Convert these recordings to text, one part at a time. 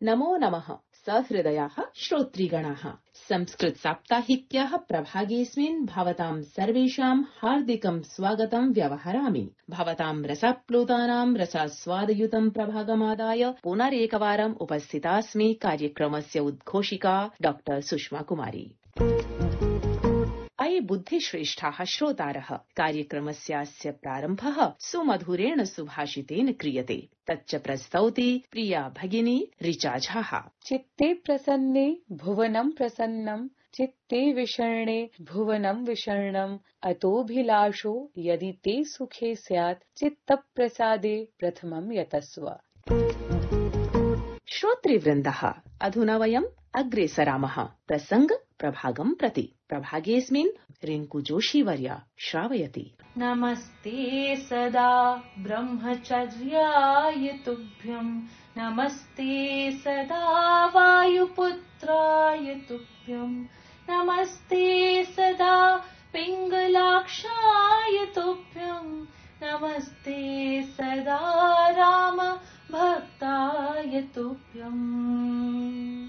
नमो नमः सहृदयाः श्रोतृगणाः। संस्कृत साप्ताहिक्याः प्रभागेऽस्मिन् भवतां सर्वेषां हार्दिकं स्वागतं व्यवहरामि। भवतां रसाप्लुतानां रसास्वादयुतं प्रभागमादाय पुनरेकवारम् उपस्थितास्मि। कार्यक्रमस्य उद्घोषिका डॉ सुषमा कुमारी। अये बुद्धिश्रेष्ठाः श्रोतारः, कार्यक्रमस्यास्य प्रारम्भः सुमधुरेण सुभाषितेन क्रियते। तच्च प्रस्तौति प्रिया भगिनी ऋचा झा। चित्ते प्रसन्ने भुवनं प्रसन्नं, चित्ते विषण्णे भुवनं विषण्णम्, अतोऽभिलाषो यदि ते सुखे स्यात्, चित्तप्रसादे प्रथमं यतस्व। श्रोतृवृन्दः, अधुना वयम् अग्रे सरामः प्रसंग प्रभागं प्रति। प्रभागेऽस्मिन् रिङ्कु जोशीवर्या श्रावयति। नमस्ते सदा ब्रह्मचर्याय तुभ्यं, नमस्ते सदा वायुपुत्राय तुभ्यं, नमस्ते सदा पिङ्गलाक्षाय तुभ्यं, नमस्ते सदा राम भक्ताय तुभ्यम्।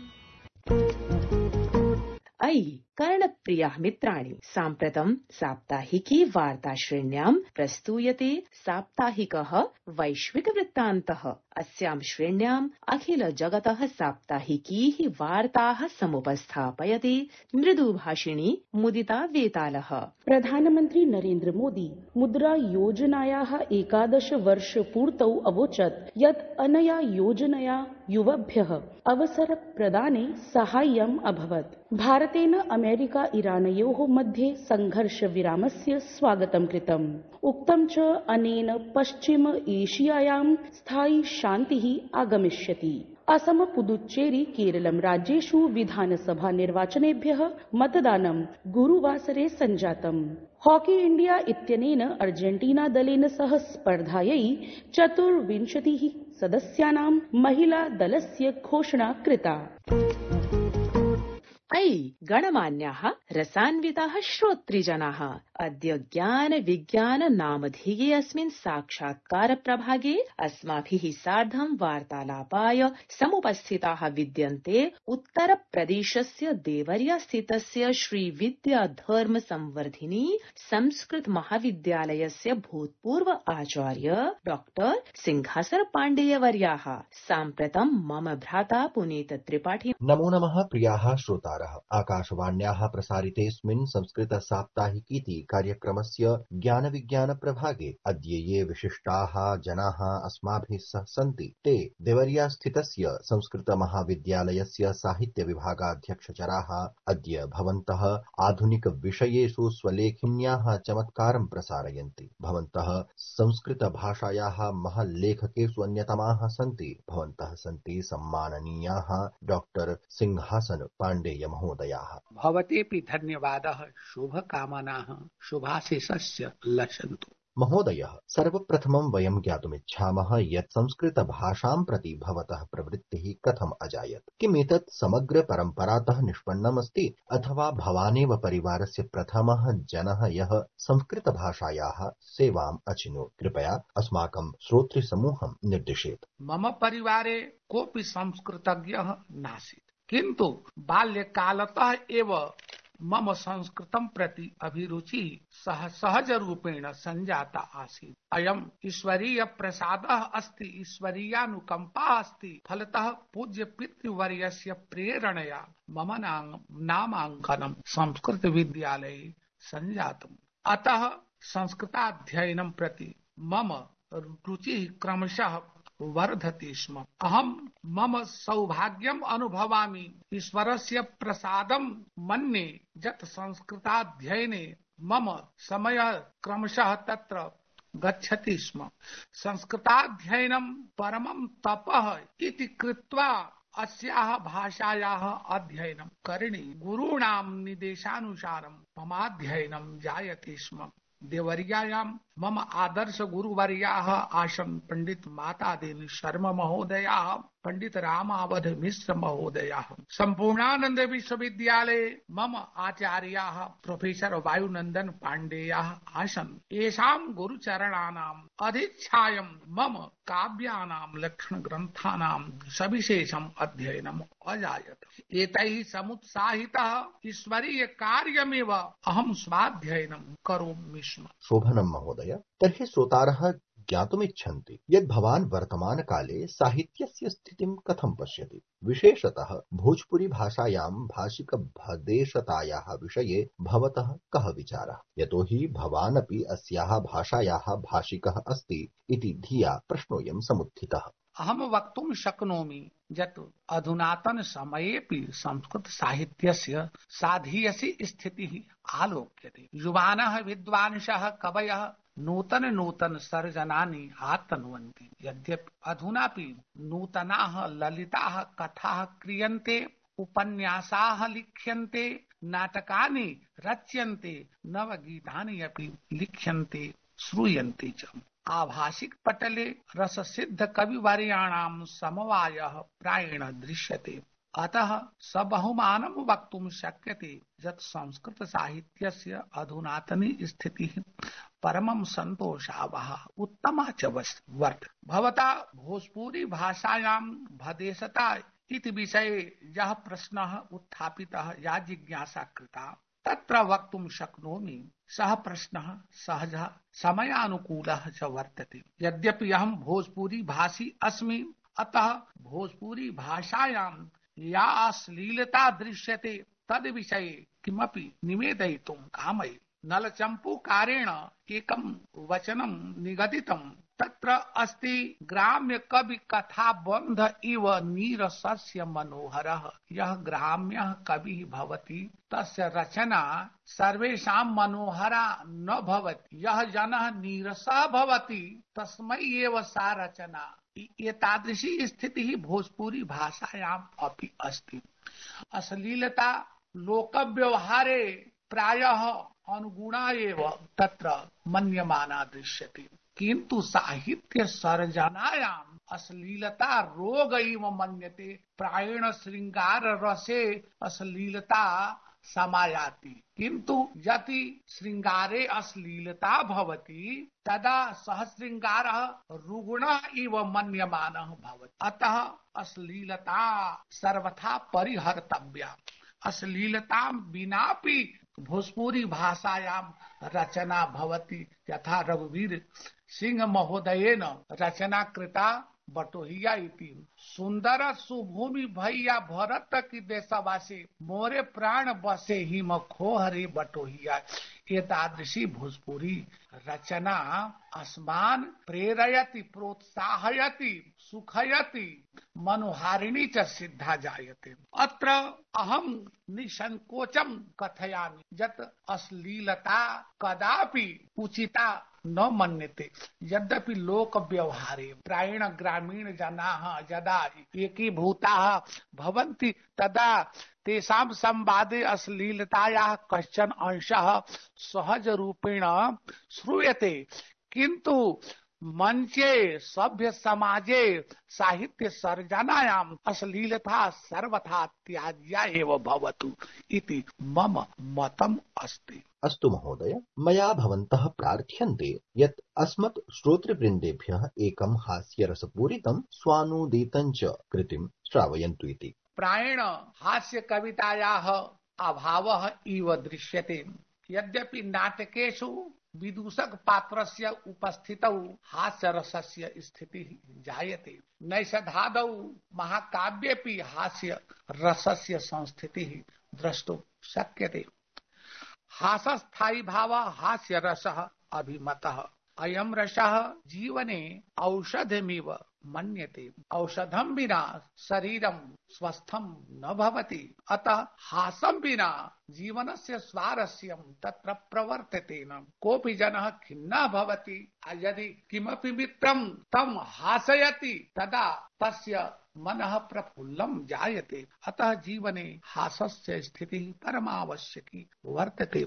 अयि कर्णप्रियाः मित्राणि, साम्प्रतं साप्ताहिकी वार्ताश्रेण्यां प्रस्तूयते साप्ताहिकः वैश्विकवृत्तान्तः। अस्यां श्रेण्याम् अखिल जगतः साप्ताहिकीः वार्ताः समुपस्थापयति मृदुभाषिणी मुदिता वेतालः। प्रधानमन्त्री नरेन्द्र मोदी मुद्रा योजनायाः 11 वर्षपूर्तौ अवोचत् यत् अनया योजनया युवभ्यः अवसरप्रदाने साहाय्यम् अभवत्। भारतेन अमेरिका इरानयोः मध्ये संघर्षविरामस्य स्वागतं कृतम्। उक्तं च अनेन पश्चिम एशियायां स्थायी शान्तिः आगमिष्यति। असम, पुदुच्चेरी, केरलं राज्येषु विधानसभा निर्वाचनेभ्यः मतदानं गुरुवासरे सञ्जातम्। हॉकी इंडिया इत्यनेन अर्जेंटीना दलेन सह स्पर्धायै 24 सदस्यानां महिला दलस्य घोषणा कृता। अयि गणमान्याः रसान्विताः श्रोतृजनाः, अद्य ज्ञान विज्ञान नामधेये अस्मिन् साक्षात्कार प्रभागे अस्माभिः सार्धं वार्तालापाय समुपस्थिताः विद्यन्ते उत्तरप्रदेशस्य देवरिया स्थितस्य श्री विद्या धर्म संवर्धिनी संस्कृत महाविद्यालयस्य भूतपूर्व आचार्य डॉक्टर सिंहासन पाण्डेयवर्याः। साम्प्रतं मम भ्राता पुनीत त्रिपाठी। नमो नमः प्रियाः श्रोतारः। आकाशवाण्याः प्रसारितेऽस्मिन् संस्कृत साप्ताहिकीति कार्यक्रमस्य ज्ञान विज्ञान प्रभागे अद्य ये विशिष्टाः जनाः अस्माभिः सह सन्ति ते देवरिया स्थितस्य संस्कृत महाविद्यालयस्य साहित्य विभागाध्यक्षचराः। अद्य भवन्तः आधुनिक विषयेषु स्वलेखिन्याः चमत्कारं प्रसारयन्ति। भवन्तः संस्कृत भाषायाः महल् लेखकेषु अन्यतमाः सन्ति। भवन्तः सन्ति सम्माननीयाः डॉक्टर सिंहासन पाण्डेय महोदयाः। भवतेऽपि धन्यवादः, शुभकामनाः शुभाशिषस्य लसन्तु। महोदयः, सर्वप्रथमं वयं ज्ञातुमिच्छामः यत् संस्कृतभाषां प्रति भवतः प्रवृत्तिः कथम् अजायत? किम् एतत् समग्र परम्परातः निष्पन्नमस्ति अथवा भवानेव परिवारस्य प्रथमः जनः यः संस्कृतभाषायाः सेवाम् अचिनोत्? कृपया अस्माकं श्रोतृसमूहं निर्दिशेत्। मम परिवारे कोऽपि संस्कृतज्ञः नासीत्, किन्तु बाल्यकालतः एव मम संस्कृतं प्रति अभिरुचिः सहजरूपेण सञ्जाता आसीत्। अयम् ईश्वरीय प्रसादः अस्ति, ईश्वरीयानुकम्पा अस्ति। फलतः पूज्य पितृवर्यस्य प्रेरणया मम नामाङ्कनं संस्कृत विद्यालये सञ्जातम्। अतः संस्कृताध्ययनं प्रति मम रुचिः क्रमशः वर्धते स्म। अहं मम सौभाग्यम् अनुभवामि, ईश्वरस्य प्रसादं मन्ये यत् संस्कृताध्ययने मम समयः क्रमशः तत्र गच्छति स्म। संस्कृताध्ययनं परमं तपः इति कृत्वा अस्याः भाषायाः अध्ययनं करणीयम्। गुरूणां निर्देशानुसारं ममाध्ययनं जायते स्म। देवर्यायां मम आदर्श गुरुवर्याः आसन् पंडित मातादेवी शर्मा महोदयाः, पंडित रामावध मिश्र महोदयाः। संपूर्णानंद विश्वविद्यालये मम आचार्याः प्रोफेसर वायुनंदन पाण्डेयाः आसन्। येषां गुरुचरणानाम् अधिच्छायं मम काव्यानां लक्षणग्रन्थानां सविशेषम् अध्ययनम् अजायत। एतैः समुत्साहितः ईश्वरीय कार्यमेव अहं स्वाध्ययनं करोमि स्म। शोभनं महोदय, तर्हि श्रोतारः ज्ञातुमिच्छन्ति यत् भवान् वर्तमानकाले साहित्यस्य स्थितिं कथं पश्यति। विशेषतः भोजपुरी भाषायां भाषिकभदेशतायाः विषये भवतः कः विचारः। यतोहि भवान् अपि अस्याः भाषायाः भाषिकः अस्ति इति धिया प्रश्नोऽयं समुत्थितः। अहं वक्तुं शक्नोमि यत् अधुनातन समयेऽपि संस्कृत साहित्यस्य साधीयसी स्थितिः आलोक्यते। युवानः विद्वांसः कवयः नूतन सर्जनानि आतन्वन्ति। यद्यपि अधुनापि नूतनाः ललिताः कथाः क्रियन्ते, उपन्यासाः लिख्यन्ते, नाटकानि रच्यन्ते, नवगीतानि अपि लिख्यन्ते, श्रूयन्ते च। आभाषिक पटले रससिद्ध कविवर्याणां समवायः प्रायेण दृश्यते। अतः सबहुमानं वक्तुं शक्यते यत् संस्कृत साहित्यस्य अधुनातनी स्थितिः परमं सन्तोषावहा उत्तमा च वर्तते। भवता भोजपुरी भाषायां भदेशता इति विषये यः प्रश्नः उत्थापितः, या जिज्ञासा कृता, तत्र वक्तुं शक्नोमि सः प्रश्नः सहजः समयानुकूलः च वर्तते। यद्यपि अहं भोजपुरी भाषी अस्मि, अतः भोजपुरी भाषायां या अश्लीलता दृश्यते तद् विषये किमपि निवेदयितुं कामये। नलचम्पूकारेण एकं वचनं निगदितं, तत्र अस्ति ग्राम्य कवि कथा बंध इव नीरसस्य मनोहरः। यः ग्राम्यः कविः भवति तस्य रचना सर्वेषां मनोहरा न भवति। यः जनः नीरसः भवति तस्मै एव सा रचना। एतादृशी स्थितिः भोजपुरी भाषायाम् अपि अस्ति। अश्लीलता लोकव्यवहारे प्रायः अनुगुणा एव तत्र मन्यमाना दृश्यते, किन्तु साहित्य सर्जनायाम् अश्लीलता रोग इव मन्यते। प्रायेण श्रृंगार रसे अश्लीलता समायाति, किन्तु यदि श्रृंगारे अश्लीलता भवति तदा सः श्रृंगारः रुग्णः इव मन्यमानः भवति। अतः अश्लीलता सर्वथा परिहर्तव्या। अश्लीलतां विनापि भोजपुरी भाषायां रचना भवति। यथा रघुवीर सिंह महोदयेन रचना कृता बटोहिया इति। सुंदर सुभूमि भैया भरत की देशवासी, मोरे प्राण बसे हिम खोहरे बटोहिया। एतादृशी भोजपुरी रचना अस्मान् प्रेरयति, प्रोत्साहयति, सुखयति, मनोहारिणी च सिद्धा जायते। अत्र अहं निसंकोचं कथयामि यत् अश्लीलता कदापि उचिता न मन्यते। यद्यपि लोक व्यवहारे प्रायेण ग्रामीण जनाः यदा एकीभूताः भवन्ति तदा तेषां संवादे अश्लीलतायाः कश्चन अंशः सहज रूपेण श्रूयते, किन्तु मंचे सभ्य समाजे साहित्य सर्जनायाम् अश्लीलता सर्वथा त्याज्या एव भवतु इति मम मतम् अस्ति। अस्तु महोदय, मया भवन्तः प्रार्थ्यन्ते यत् अस्मत् श्रोतृवृन्देभ्यः एकं हास्यरसपूरितं स्वानुदितं च कृतिं श्रावयन्तु इति। प्रायेण हास्य कवितायाः अभावः इव दृश्यते। यद्यपि नाटकेषु विदूषक पात्रस्य उपस्थितौ हास्यरसस्य स्थितिः जायते, नैषधादौ महाकाव्येऽपि हास्य रसस्य संस्थितिः द्रष्टुं शक्यते। हासस्थायी भाव हास्य रसः अभिमतः। अयं रसः जीवने औषधमिव मन्यते। औषधं विना शरीरं स्वस्थं न भवति। अतः हासं विना जीवनस्य स्वारस्यं तत्र प्रवर्तते न। कोऽपि जनः खिन्नः भवति, यदि किमपि मित्रं तं हासयति तदा तस्य मनः प्रफुल्लं जायते। अतः जीवने हासस्य स्थितिः परमावश्यकी वर्तते।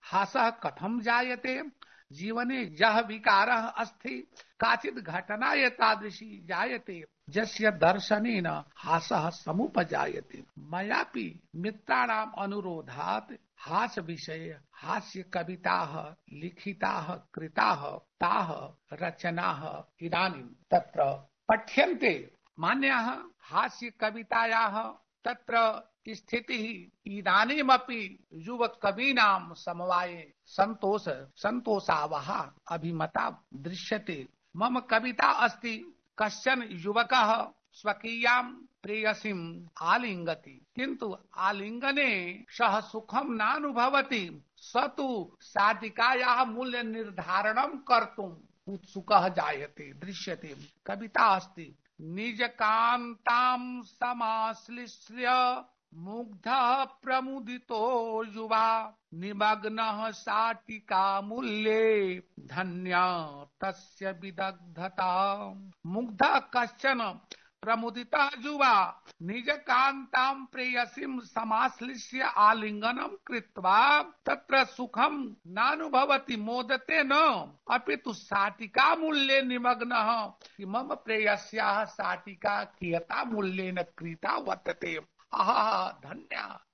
हासः कथं जायते? जीवने यः विकारः अस्ति, काचित् घटना एतादृशी जायते यस्य दर्शनेन हासः समुपजायते। मयापि मित्राणाम् अनुरोधात् हास्य विषये हास्य कविताः लिखिताः कृताः ताः रचनाः इदानीं तत्र पठ्यन्ते। मान्याः हास्य कवितायाः तत्र स्थितिः इदानीमपि युवकवीनां समवाये सन्तोषावहा अभिमता दृश्यते। मम कविता अस्ति, कश्चन युवकः स्वकीयां प्रेयसीम् आलिङ्गति, किन्तु आलिङ्गने सः सुखं नानुभवति। स तु शाटिकायाः मूल्य निर्धारणं कर्तुम् उत्सुकः जायते दृश्यते। कविता अस्ति, निजकान्तां समाश्लिष्य मुग्धः प्रमुदितो युवा निमग्नः शाटिका मूल्ये धन्या तस्य विदग्धता। मुग्धः कश्चन प्रमुदितः युवा निजकान्तां प्रेयसीं समाश्लिष्य आलिङ्गनं कृत्वा तत्र सुखं नानुभवति, मोदते न, अपितु शाटिका मूल्ये निमग्नः। मम प्रेयस्याः शाटिका कियता मूल्येन क्रीता वर्तते। आहा धन्या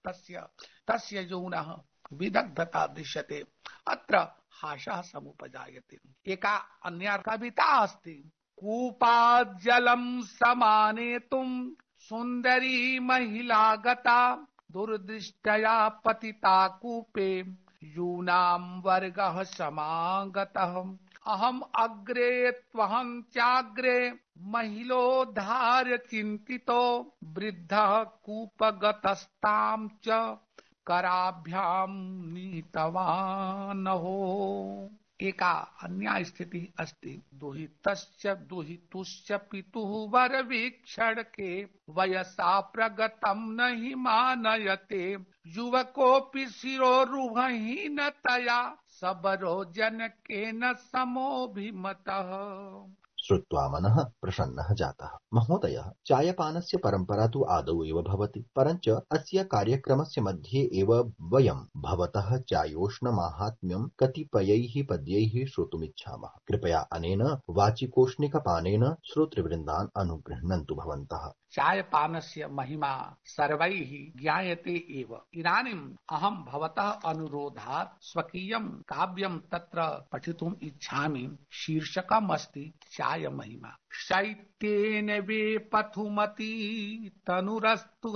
तस्य यौनः विदग्धता दृश्यते। अत्र हासः समुपजायते। एका अन्या कविता अस्ति, कूपात् जलं समानेतुं सुन्दरी महिला गता दुर्दृष्टया पतिता कूपे यूनां वर्गः समागतः। अहम् अग्रे त्वहं चाग्रे महिलोद्धार्य चिन्तितो वृद्धः कूपगतस्तां च कराभ्यां नीतवान् हो। एका अन्या स्थिति अस्ति, दुहितुश्च पितुः वरवीक्षणके वयसा प्रगतं न हि मानयते युवकोऽपि शिरोरुहहीनतया सबरो जनकेन समोऽभिमतः। श्रुत्वा मनः प्रसन्नः जातः। महोदयः, चायपानस्य परम्परा तु आदौ एव भवति, परञ्च अस्य कार्यक्रमस्य मध्ये एव वयं भवतः चायोष्णमाहात्म्यं कतिपयैः पद्यैः श्रोतुमिच्छामः। कृपया अनेन वाचिकोष्णिकपानेन श्रोतृवृन्दान् अनुगृह्णन्तु भवन्तः। चायपानस्य महिमा सर्वैः ज्ञायते एव। इदानीम् अहं भवतः अनुरोधात् स्वकीयं काव्यं तत्र पठितुम् इच्छामि। शीर्षकम् अस्ति चाय महिमा। शैत्येन वे पथुमती तनुरस्तु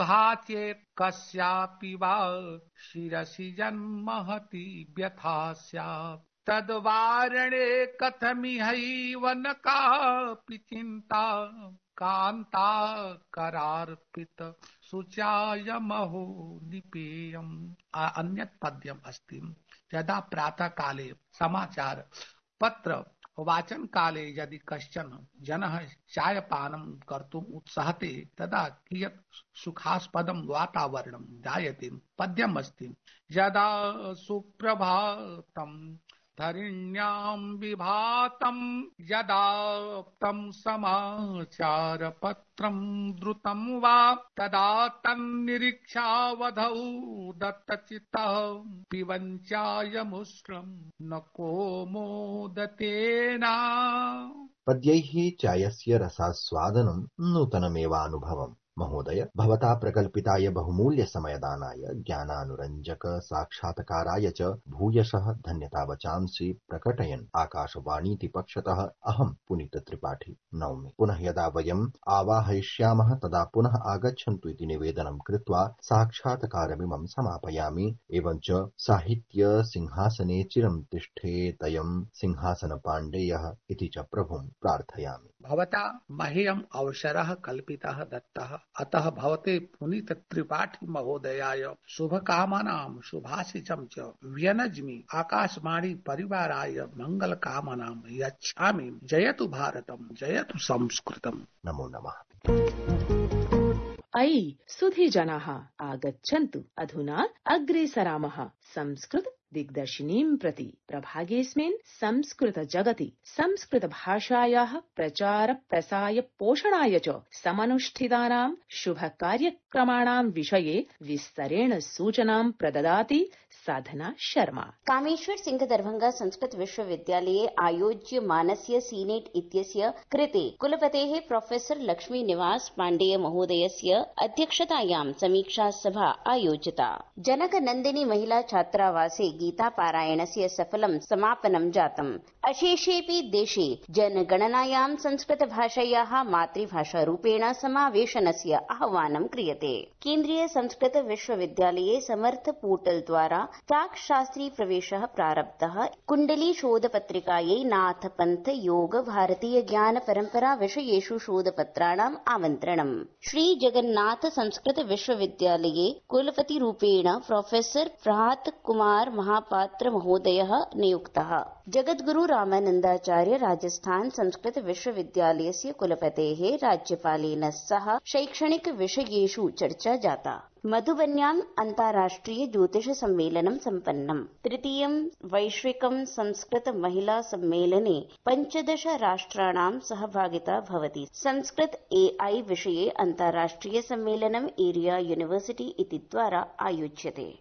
चेत् कस्यापि वा शिरसि जन्महति व्यथा स्यात् तद्वारणे कथमिहैव न कापि चिन्ता कान्ता करार्पित शुचायमहो निपेयम्। अन्यत् पद्यम् अस्ति, यदा प्रातः काले समाचार पत्र वाचन काले यदि कश्चन जनः चायपानं कर्तुम् उत्सहते तदा कियत् सुखास्पदं वातावरणं जायते। पद्यम् अस्ति, यदा सुप्रभातं धरिण्यां विभातं यदा तं समाचारपत्रं द्रुतं वा तदा तन्निरीक्षावधौ दत्तचित्तः पिबञ्चायमुष्णं न को मोदतेना। पद्यैः चायस्य रसास्वादनं नूतनमेवानुभवम्। महोदय, भवता प्रकल्पिताय बहुमूल्य समयदानाय ज्ञानानुरञ्जक साक्षात्काराय च भूयशः धन्यतावचांसि प्रकटयन् आकाशवाणीति पक्षतः अहं पुनीत त्रिपाठी नौमि। पुनः यदा वयम् आवाहयिष्यामः तदा पुनः आगच्छन्तु इति निवेदनं कृत्वा साक्षात्कारमिमं समापयामि। एवञ्च साहित्य सिंहासने चिरं तिष्ठेतयं सिंहासनपाण्डेयः इति च प्रभुं प्रार्थयामि। भवता मह्यम् अवसरः कल्पितः दत्तः, अतः भवते पुनीत त्रिपाठी महोदयाय शुभकामनां शुभाशिषं च व्यनज्मि। आकाशवाणी परिवाराय मंगलकामनां यच्छामि। जयतु भारतम्, जयतु संस्कृतम्। नमो नमः। अयि सुधी जनाः आगच्छन्तु, अधुना अग्रे सरामः संस्कृत दिग्दर्शिनीं प्रति प्रभागेऽस्मिन् संस्कृत जगति संस्कृत भाषायाः प्रचार प्रसाय पोषणाय च समनुष्ठितानां शुभ कार्यक्रमाणां विषये विस्तरेण सूचनां प्रददाति साधना शर्मा। कामेश्वर सिंह दरभंगा संस्कृत विश्वविद्यालये आयोज्यमानस्य सीनेट इत्यस्य कृते कुलपतेः प्रोफेसर लक्ष्मी निवास पाण्डेय महोदयस्य अध्यक्षतायां समीक्षा सभा आयोजिता। जनक नन्दिनी महिला छात्रावासे गीतापारायणस्य सफलं समापनं जातम्। अशेषेऽपि देशे जनगणनायां संस्कृतभाषायाः मातृभाषारूपेण समावेशनस्य आह्वानं क्रियते। केन्द्रीय संस्कृत विश्वविद्यालये समर्थ पोर्टल द्वारा प्राक् शास्त्री प्रवेशः प्रारब्धः। कुण्डली शोधपत्रिकायै नाथ पंथ योग भारतीय ज्ञान परंपरा विषयेषु शोधपत्राणाम् आमन्त्रणम्। श्री जगन्नाथ संस्कृत विश्वविद्यालये कुलपतिरूपेण प्रोफेसर प्रभात कुमार महापात्र महोदयः नियुक्तः। जगद्गुरु रामानन्दाचार्य राजस्थान संस्कृत विश्वविद्यालयस्य कुलपतेः राज्यपालेन सह शैक्षणिक विषयेषु चर्चा जाता। मधुबन्याम् अन्ताराष्ट्रिय ज्योतिष सम्मेलनं सम्पन्नम्। तृतीयं वैश्विकं संस्कृत महिला सम्मेलने 15 राष्ट्राणां सहभागिता भवति। संस्कृत AI विषये अन्ताराष्ट्रिय सम्मेलनम् एरिया यूनिवर्सिटी इति द्वारा आयोज्यते।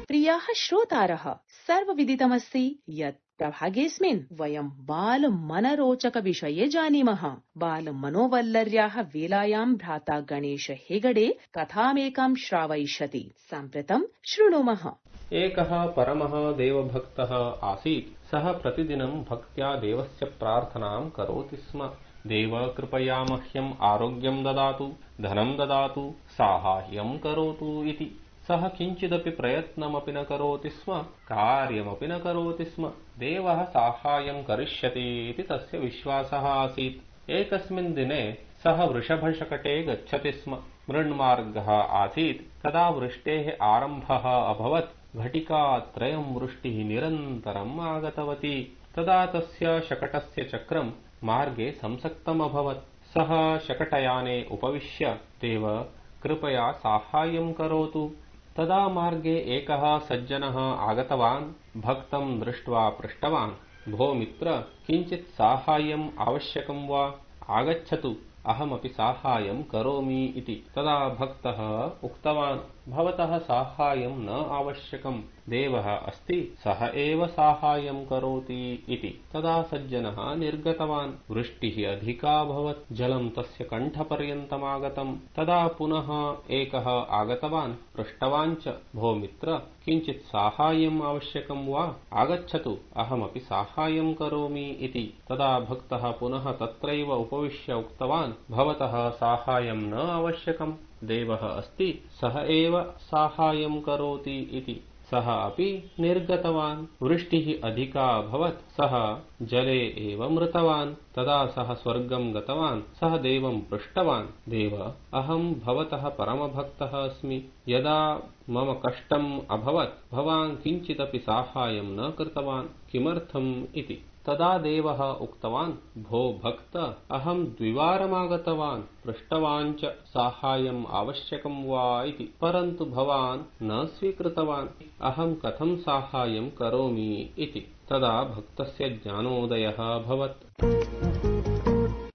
प्रियाः श्रोतारः, सर्वविदितमस्ति यत् प्रभागेऽस्मिन् वयं बाल मनरोचक विषये जानीमः। बाल मनोवल्लर्याः वेलायां भ्राता गणेश हेगडे कथामेकां श्रावयिष्यति। साम्प्रतं शृणुमः। एकः परमः देवभक्तः आसीत्। सः प्रतिदिनं भक्त्या देवस्य प्रार्थनां करोति स्म। देव कृपया मह्यम् आरोग्यं ददातु, धनं ददातु, साहाय्यं करोतु इति। सः किञ्चिदपि प्रयत्नमपि न करोति स्म, कार्यमपि न करोति स्म। देवः साहाय्यं करिष्यति इति तस्य विश्वासः आसीत्। एकस्मिन् दिने सः वृषभशकटे गच्छति स्म। मृण्मार्गः आसीत्। तदा वृष्टेः आरम्भः अभवत्। घटिकात्रयं वृष्टिः निरन्तरम् आगतवती। तदा तस्य शकटस्य चक्रं मार्गे संसक्तमभवत्। सः शकटयाने उपविश्य, देव कृपया साहाय्यं करोतु। तदा मार्गे एकः सज्जनः आगतवान्। भक्तं दृष्ट्वा पृष्टवान्, भो मित्र, किञ्चित् साहाय्यम् आवश्यकं वा? आगच्छतु, अहमपि साहाय्यं करोमि इति। तदा भक्तः उक्तवान्, भवतः साहाय्यं न आवश्यकम्, देवः अस्ति, सः एव साहाय्यं करोति इति। तदा सज्जनः निर्गतवान्। वृष्टिः अधिका भवत्। जलं तस्य कण्ठपर्यन्तमागतम्। तदा पुनः एकः आगतवान्। पृष्टवान् च, भो मित्र, किञ्चित् साहाय्यम् आवश्यकं वा? आगच्छतु, अहमपि साहाय्यं करोमि इति। तदा भक्तः पुनः तत्रैव उपविश्य उक्तवान्, भवतः साहाय्यं न आवश्यकम्, देवः अस्ति, सः एव साहाय्यं करोति इति। सः अपि निर्गतवान्। वृष्टिः अधिका अभवत्। सः जले एव मृतवान्। तदा सः स्वर्गं गतवान्। सः देवं पृष्टवान्, देव, अहं भवतः परमभक्तः अस्मि। यदा मम कष्टम् अभवत्, भवान् किञ्चिदपि साहाय्यं न कृतवान्, किमर्थम् इति। तदा देवः उक्तवान्, भो भक्त, अहं द्विवारमागतवान्, पृष्टवान् च साहाय्यम् आवश्यकं वा इति, परन्तु भवान् न स्वीकृतवान्। अहं कथं साहाय्यं करोमि इति। तदा भक्तस्य ज्ञानोदयः अभवत्।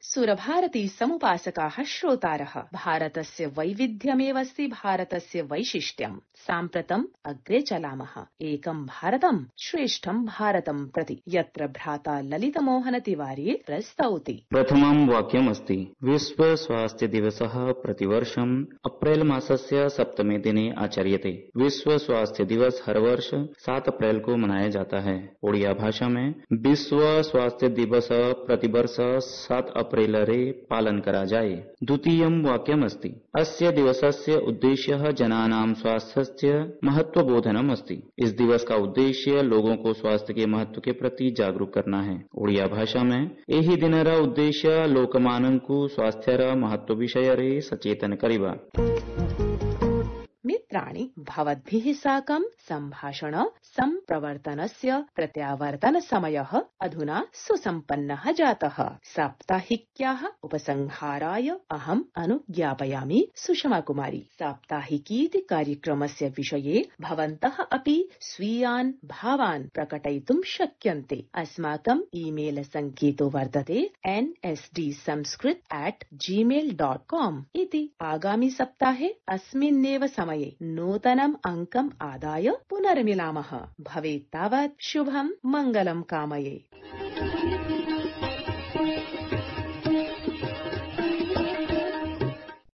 सुरभारती समुपासकाः श्रोतारः, भारतस्य वैविध्यमेवस्ति भारतस्य वैशिष्ट्यम्। साम्प्रतम् अग्रे चलामः एकं भारतं श्रेष्ठं भारतं प्रति, यत्र भ्राता ललितमोहन तिवारी प्रस्तौति। प्रथमं वाक्यमस्ति, विश्व स्वास्थ्य दिवसः प्रतिवर्षम् अप्रैल मासस्य 7वें दिने आचर्यते। विश्व स्वास्थ्य दिवस हर वर्ष 7 अप्रैल को मनाया जाता है। ओडिया भाषा में विश्व स्वास्थ्य दिवस प्रतिवर्ष 7 अप्रैलरे पालन करा जाए। द्वितीयं वाक्यमस्ति, अस्य दिवसस्य उद्देश्यः जनानां स्वास्थ्यस्य महत्वबोधनम् अस्ति। इस दिवस का उद्देश्य लोगों को स्वास्थ्य के महत्व के प्रति जागरूक करना है। ओडिया भाषा में एही दिनर उद्देश्य लोकमानंकु स्वास्थ्यर महत्व विषये सचेतन करिबा। मित्राणि, भवद्भिः साकं सम्भाषण सम्प्रवर्तनस्य प्रत्यावर्तन समयः अधुना सुसम्पन्नः जातः। साप्ताहिक्याः उपसंहाराय अहम् अनुज्ञापयामि सुषमा कुमारी। साप्ताहिकीति कार्यक्रमस्य विषये भवन्तः अपि स्वीयान् भावान् प्रकटयितुं शक्यन्ते। अस्माकम् ईमेल सङ्केतो वर्तते nsdsanskrit@gmail.com इति। आगामि सप्ताहे अस्मिन्नेव समये नूतनम् अङ्कम् आदाय पुनर्मिलामः। भवेत् तावत् शुभं मङ्गलं कामये।